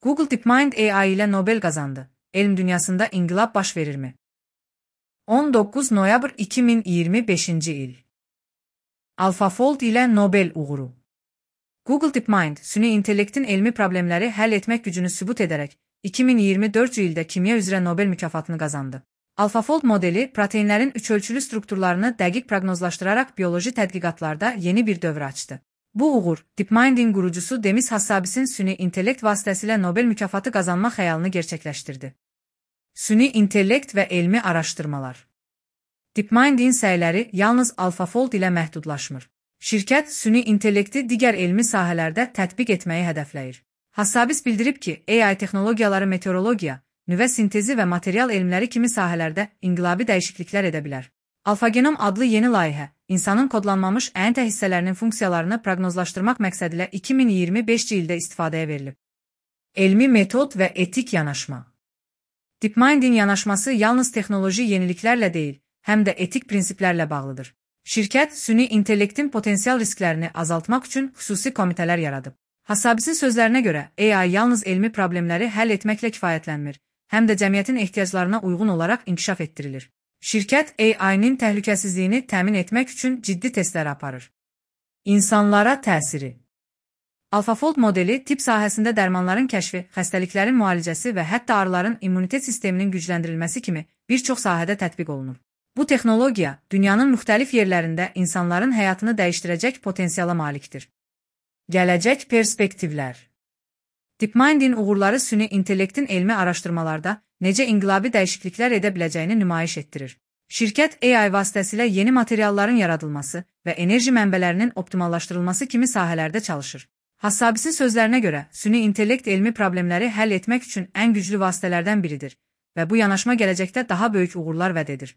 Google DeepMind AI ile Nobel kazandı. Elm dünyasında inkılap baş verir mi? 19 noyabr 2025 il. AlphaFold ile Nobel uğuru. Google DeepMind, süni intellektin elmi problemləri həll etmək gücünü sübut edərək 2024 ildə kimya üzrə Nobel mükafatını qazandı. AlphaFold modeli, proteinlərin üçölçülü strukturlarını dəqiq proqnozlaşdıraraq bioloji tədqiqatlarda yeni bir dövr açdı. Bu uğur, DeepMind'in qurucusu Demis Hassabis'in süni intellekt vasitəsilə Nobel mükafatı qazanma xəyalını gerçəkləşdirdi. Süni intellekt və elmi araşdırmalar. DeepMind'in səyləri yalnız AlphaFold ilə məhdudlaşmır. Şirkət, süni intellekti digər elmi sahələrdə tətbiq etməyi hədəfləyir. Hassabis bildirib ki, AI texnologiyaları meteorologiya, nüvə sintezi və material elmləri kimi sahələrdə inqilabi dəyişikliklər edə bilər. AlphaGenom adlı yeni layihə, insanın kodlanmamış ƏNT hissələrinin funksiyalarını proqnozlaşdırmaq məqsədilə 2025 ildə istifadəyə verilib. Elmi metod və etik yanaşma. DeepMind'in yanaşması yalnız texnoloji yeniliklərlə deyil, həm də etik prinsiplərlə bağlıdır. Şirkət, süni intellektin potensial risklərini azaltmaq üçün xüsusi komitələr yaradıb. Hassabisin sözlərinə görə, AI yalnız elmi problemləri həll etməklə kifayətlənmir, həm də cəmiyyətin ehtiyaclarına uyğun olaraq inkişaf etdirilir. Şirkət, AI-nin təhlükəsizliyini təmin etmək üçün ciddi testlər aparır. İnsanlara təsiri. AlphaFold modeli, tibb sahəsində dərmanların kəşfi, xəstəliklərin müalicəsi və hətta arıların immunitet sisteminin gücləndirilməsi kimi bir çox sahədə tətbiq olunur. Bu texnologiya, dünyanın müxtəlif yerlərində insanların həyatını dəyişdirəcək potensiala malikdir. Gələcək perspektivlər. DeepMind'in uğurları süni intellektin elmi araşdırmalarda necə inqilabi dəyişikliklər edə biləcəyini nümayiş etdirir. Şirkət, AI vasitəsilə yeni materialların yaradılması və enerji mənbələrinin optimallaşdırılması kimi sahələrdə çalışır. Hassabisin sözlərinə görə, süni intellekt elmi problemləri həll etmək üçün ən güclü vasitələrdən biridir və bu yanaşma gələcəkdə daha böyük uğurlar vəd edir.